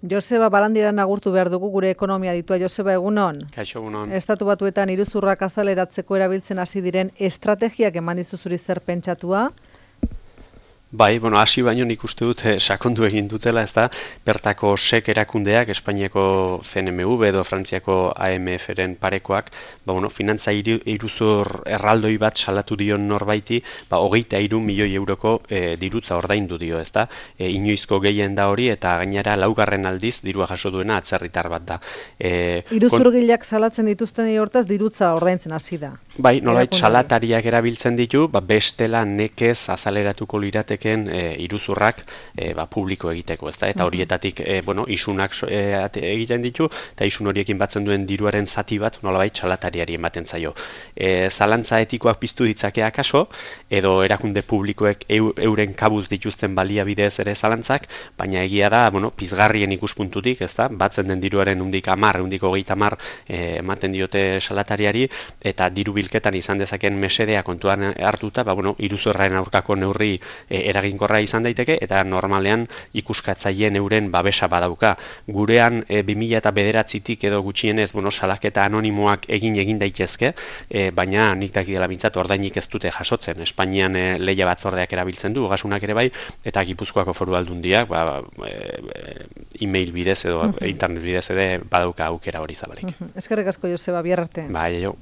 Joseba Barandiaran agurtu behar dugu gure ekonomia ditua. Joseba, egunon? Kaixo, egunon. Estatu Batuetan iruzurrak azaleratzeko erabiltzen hasi diren estrategiak eman dizu zuri zer pentsatua? Bai, hasi baino nik uste dut sakondu egin dutela, ezta, bertako SEC erakundeak, Espainiako CNMV edo Frantziako AMF-ren parekoak, finantza iruzur erraldoi bat salatu dion norbaiti, 23 milioi euroko dirutza ordaindu dio, ezta, inoizko gehien da hori, eta gainera laugarren aldiz dirua jaso duena atzerritar bat da. Iruzurgileak salatzen dituzten hortaz dirutza ordaintzen hasi da. Bai, nolait salatariak erabiltzen ditu, bestela nekez azaleratuko lirateken iruzurrak publiko egiteko, ezta? Eta horietatik isunak egiten ditu, eta isun horiekin batzen duen diruaren zati bat nolabait salatariari ematen zaio. Zalantza etikoak piztu ditzake akaso, edo erakunde publikoek euren kabuz dituzten baliabidez ere zalantzak, baina egia da, pizgarrien ikuspuntutik, ezta? Batzen den diruaren undik 20 ematen diote salatariari, eta diru bilketan izan dezaken mesedea kontuan hartuta, iruzurraren aurkako neurri eraginkorra izan daiteke, eta normalean ikuskatzaileen euren babesa badauka. Gurean 2009tik edo gutxienez salaketa anonimoak egin daitezke, baina nik dakidela bintzat ordainik ez dute jasotzen. Espainian lehia batzordeak erabiltzen du, ogasunak ere bai, eta Gipuzkoako Foru Aldundiak e-mail bidez edo internet bidez ere badauka aukera hori zabalik. Eskerrik asko, Joseba, bihar arte. Bai, jo.